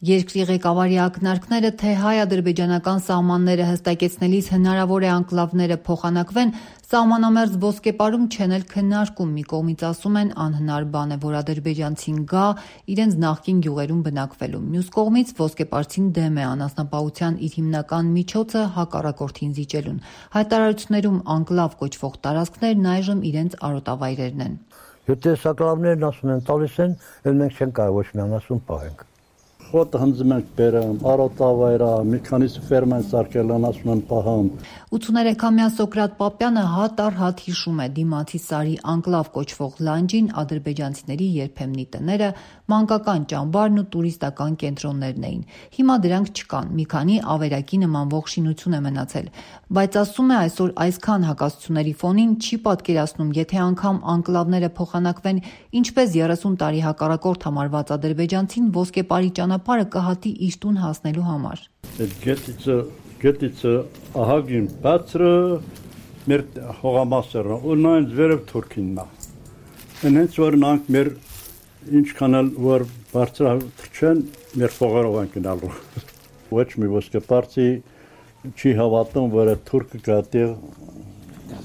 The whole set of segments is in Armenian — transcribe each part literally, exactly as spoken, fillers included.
Երկրի ղեկավարի ակնարկները, թե հայ-ադրբեջանական սահմանները հստակեցնելիս հնարավոր է անկլավները փոխանակվեն, սահմանամերձ ոսկեպարում չեն էլ քննարկում, մի կողմից ասում են անհնար բան է, որ ադրբեջանցին գա իրենց նախկին գյուղերում բնակվելու, մյուս կողմից ոսկեպարցին դեմ է անասնապահության իր հիմնական միջոցը հակառակորդին զիջելուն, հայտարարություններում անկլավ կոչվող տարածքներն այժմ իրենց արոտավայրերն են։ Եթե անկլավներն ասում են տալիս են, էլ մենք չենք կարող ոչ մի անասուն պահենք։ Խոտը հնձում ենք բերում, արոտավայրա, մի քանիսը ֆերմա են սարքել, անասուն են պահում։ ութսուներեքամյա Սոկրատ Պապյանը հատ առ հատ հիշում է դիմացի Սարի անկլավ կոչվող լանջին ադրբեջանցիների երբեմնի տները, մանկական ճամբարն ու տուրիստական կենտրոններն էին։ Հիմա դրանք չկան, մի քանի ավերակի նմանվող շինություն է մնացել, բայց ասում է այսօր այսքան հակասությունների ֆոնին չի պատկերացնում, եթե անգամ անկլավները փոխանակվեն, ինչպես երեսուն տարի հակառակորդ համարված ադրբեջանցին ոսկեպարի ճանապարհը կհատի իր տուն հասնելու համար։ Գետիցը գետիցը ահագին բարձրը մեր հողամասերը ու նույն վերև թուրքիննա։ Հենց որ նրանք մեր ինչքան էլ որ բարձր չեն մեր փողերով են գնալու։ Ոչ մի ոսկեպարցի չի հավատում, որ թուրքը կատի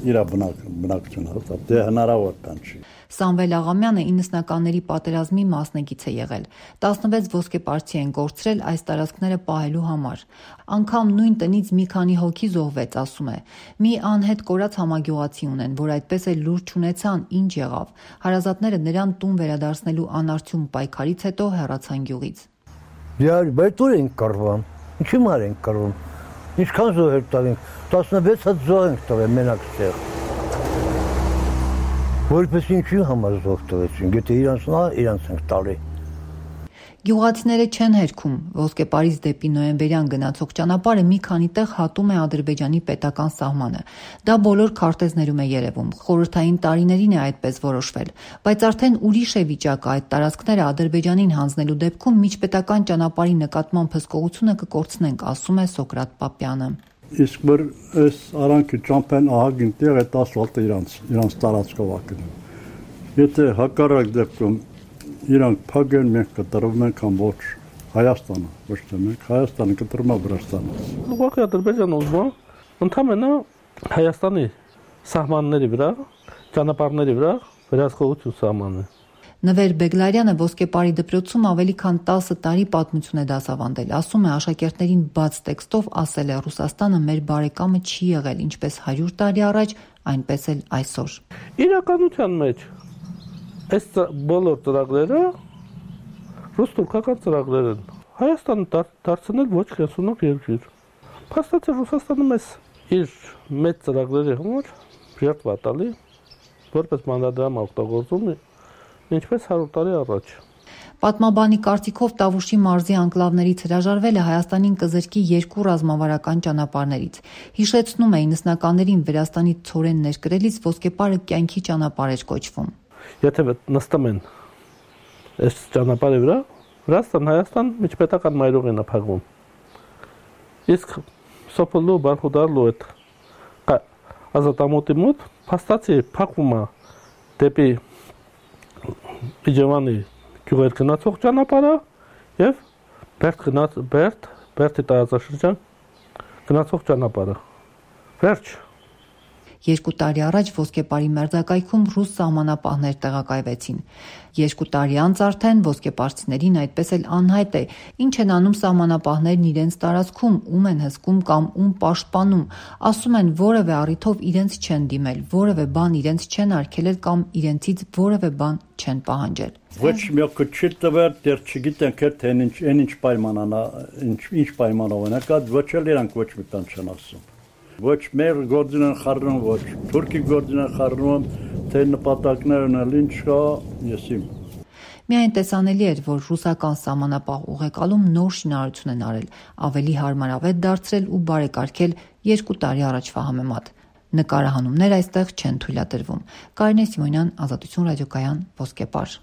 իր բնակությունը, դա հնարավոր բան չի։ Սամվել Աղամյանը իննսնականների պատերազմի մասնակից է եղել։ տասնվեց ոսկեպարցի են կորցրել այս տարածքները պահելու համար։ Անգամ նույն տնից մի քանի հոգի զոհվեց, ասում է։ Մի անհետ կորած համագյուղացի ունեն, որ այդպես էլ լուր չունեցան, ինչ եղավ։ Հարազատները նրան տուն վերադարձնելու անարդյուն պայքարից հետո հեռացան գյուղից։ Բայց ուր ենք կռվում։ Ինչի մար ենք կռվում։ Ինչքան զոհեր տալինք, տասնվեց հատ զոհ ենք տվել մենակ ստեղ։ Որպես ինչի համար զոհ տվեցին, եթե իրանց նա իրանց ենք տալի։ Գյուղացիները չեն հերքում, ոսկեպարից դեպի նոյեմբերյան գնացող ճանապարհը մի քանի տեղ հատում է Ադրբեջանի պետական սահմանը։ Դա բոլոր քարտեզներում է երևում, խորհրդային տարիներին է այդպես որոշվել, բայց արդեն ուրիշ է վիճակը, այդ տարածքները Ադրբեջանին հանձնելու դեպքում միջպետական ճանապարհի նկատմամբ հսկողությունը կկորցնենք, ասում է Սոկրատ Պապյանը։ Իսկ որ այս արանքը ճամփեն ահագին տեղ է ասֆալտը իրանց իրանց տարածքով ակնում։ Եթե հակառակ դեպքում իրանք փագեն մենք կտրվում ենք ամբողջ Հայաստանը, ոչ թե մենք Հայաստանը կտրում է Վրաստանը։ Ուղղակի Ադրբեջանը ուզում է ընդհանրապես Հայաստանի սահմանների վրա, ճանապարհների վրա վերահսկողություն սահմանը։ Նվեր Բեգլարյանը ոսկեպարի դպրոցում ավելի քան տասը տարի պատմություն է դասավանդել, ասում է աշակերտներին բաց տեքստով ասել է Ռուսաստանը մեր բարեկամը չի եղել, ինչպես հարյուր տարի առաջ, այնպես էլ այսօր։ Իրականության մեջ այս բոլոր ծրագրերը ռուս-թուրքական ծրագրեր են։ Հայաստանը դարձնել ոչ կենսունով երկիր։ Փաստացի Ռուսաստանը մեզ իր մեծ ծրագրերի համար ժертվա տալի, որպես մանրադրամ օգտագործում է ինչպես հարյուր տարի առաջ։ Պատմաբանի կարծիքով Տավուշի մարզի անկլավներից հրաժարվելը Հայաստանին կզրկի երկու ռազմավարական ճանապարհներից։ Հիշեցնում է իննսնականներին Վրաստանի ցորեն ներկրելիս ոսկեպարը կյանքի ճանապարհ էր կոչվում։ Եթե նստում են այս ճանապարհի վրա, Վրաստան-Հայաստան միջպետական մայրուղին է փակվում։ Իսկ Սոփոլու Բարխուդարլու այդ ազատամուտի մոտ փաստացի փակվում է դեպի Իջևանի գյուղեր գնացող ճանապարհը եւ Բերդ գնաց Բերդ Բերդի տարածաշրջան գնացող ճանապարհը։ Վերջ։ Երկու տարի առաջ ոսկեպարի մերձակայքում ռուս սահմանապահներ տեղակայվեցին։ Երկու տարի անց արդեն ոսկեպարցիներին այդպես էլ անհայտ է, ինչ են անում սահմանապահներն իրենց տարածքում, ում են հսկում կամ ում պաշտպանում, ասում են որևէ առիթով իրենց չեն դիմել, որևէ բան իրենց չեն արգելել կամ իրենցից որևէ բան չեն պահանջել։ Ոչ մեկը չի տվել, դեռ չգիտենք թե ինչ ինչ պայմանանա, ինչ ինչ պայմանով են, հակա ոչ էլ իրանք ոչ մի բան չեն ասում։ Ոչ մեր գործին են խառնում, ոչ թուրքի գործին են խառնում, թե նպատակներն էլ ինչ կա, եսիմ։ Միայն տեսանելի էր, որ ռուսական սահմանապահ ուղեկալում նոր շինարարություն են արել, ավելի հարմարավետ դարձրել ու բարեկարգել երկու տարի առաջվա համեմատ։ Նկարահանումներ այստեղ չեն թույլատրվում։ Կարինե Սիմոնյան, Ազատություն ռադիոկայան, Ոսկեպար։